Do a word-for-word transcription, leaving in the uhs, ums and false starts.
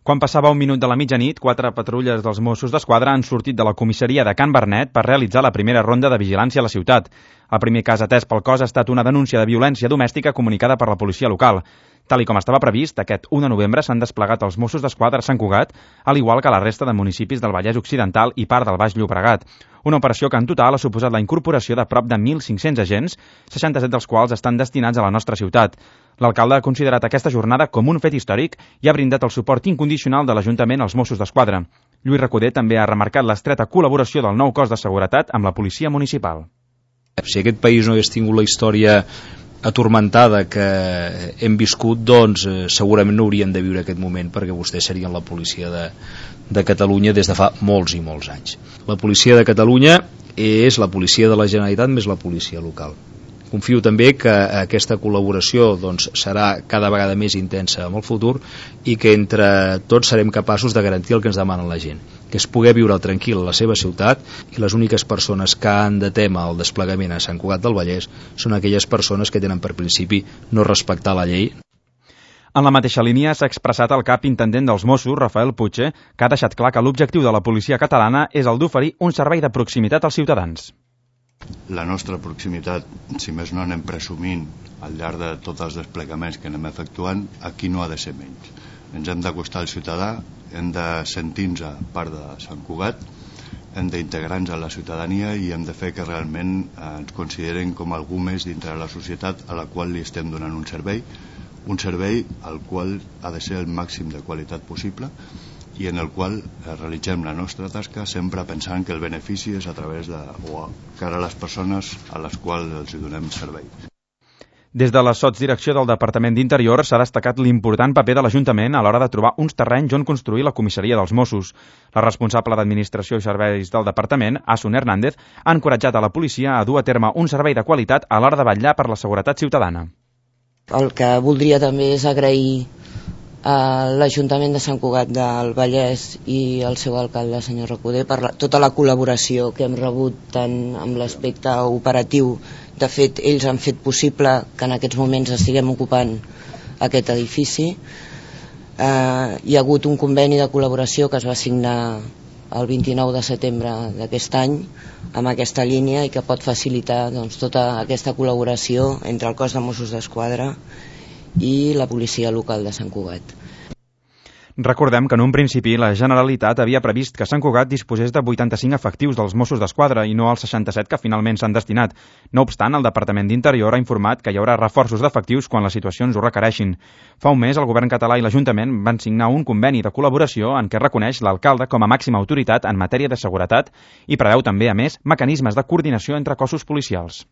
Quan passava un minut de la mitjanit, quatre patrulles dels Mossos d'Esquadra han sortit de la comissaria de Can Bernet per realitzar la primera ronda de vigilància a la ciutat. El primer cas atès pel cos ha estat una denúncia de violència domèstica comunicada per la policia local. Tal i com estava previst, aquest u de novembre s'han desplegat els Mossos d'Esquadra a Sant Cugat, al igual que la resta de municipis del Vallès Occidental i part del Baix Llobregat. Una operació que en total ha suposat la incorporació de prop de mil cinc-cents agents, seixanta-set dels quals estan destinats a la nostra ciutat. L'alcalde ha considerat aquesta jornada com un fet històric i ha brindat el suport incondicional de l'Ajuntament als Mossos d'Esquadra. Lluís Recoder també ha remarcat l'estreta col·laboració del nou cos de seguretat amb la policia municipal. Si aquest país no hagués tingut la història atormentada que hem viscut, doncs eh, segurament no hauríem de viure aquest moment, perquè vostès serien la policia de, de Catalunya des de fa molts i molts anys. La policia de Catalunya és la policia de la Generalitat més la policia local. Confio també que aquesta col·laboració doncs, serà cada vegada més intensa en el futur i que entre tots serem capaços de garantir el que ens demana la gent, que és poder viure tranquil a la seva ciutat, i les úniques persones que han de témer el desplegament a Sant Cugat del Vallès són aquelles persones que tenen per principi no respectar la llei. En la mateixa línia s'ha expressat el cap intendent dels Mossos, Rafael Puche, que ha deixat clar que l'objectiu de la policia catalana és el d'oferir un servei de proximitat als ciutadans. La nostra proximitat, si més no anem presumint al llarg de tots els desplegaments que anem efectuant, aquí no ha de ser menys. Ens hem d'acostar al ciutadà, hem de sentir-nos part de Sant Cugat, hem d'integrar-nos a la ciutadania i hem de fer que realment ens consideren com algú més dintre de la societat a la qual li estem donant un servei, un servei al qual ha de ser el màxim de qualitat possible i en el qual realitzem la nostra tasca sempre pensant que el benefici és a través de, o cara a les persones a les quals els donem servei. Des de la sotsdirecció del Departament d'Interior s'ha destacat l'important paper de l'Ajuntament a l'hora de trobar uns terrenys on construir la comissaria dels Mossos. La responsable d'Administració i Serveis del Departament, Asun Hernández, ha encoratjat a la policia a dur a terme un servei de qualitat a l'hora de vetllar per la seguretat ciutadana. El que voldria també és agrair a l'Ajuntament de Sant Cugat del Vallès i el seu alcalde, senyor Recoder, per la, tota la col·laboració que hem rebut tant amb l'aspecte operatiu. De fet, ells han fet possible que en aquests moments estiguem ocupant aquest edifici. Eh, hi ha hagut un conveni de col·laboració que es va signar el vint-i-nou de setembre d'aquest any amb aquesta línia i que pot facilitar doncs, tota aquesta col·laboració entre el cos de Mossos d'Esquadra i la policia local de Sant Cugat. Recordem que en un principi la Generalitat havia previst que Sant Cugat disposés de vuitanta-cinc efectius dels Mossos d'Esquadra i no els seixanta-set que finalment s'han destinat. No obstant, el Departament d'Interior ha informat que hi haurà reforços d'efectius quan les situacions ho requereixin. Fa un mes, el govern català i l'Ajuntament van signar un conveni de col·laboració en què reconeix l'alcalde com a màxima autoritat en matèria de seguretat i preveu també, a més, mecanismes de coordinació entre cossos policials.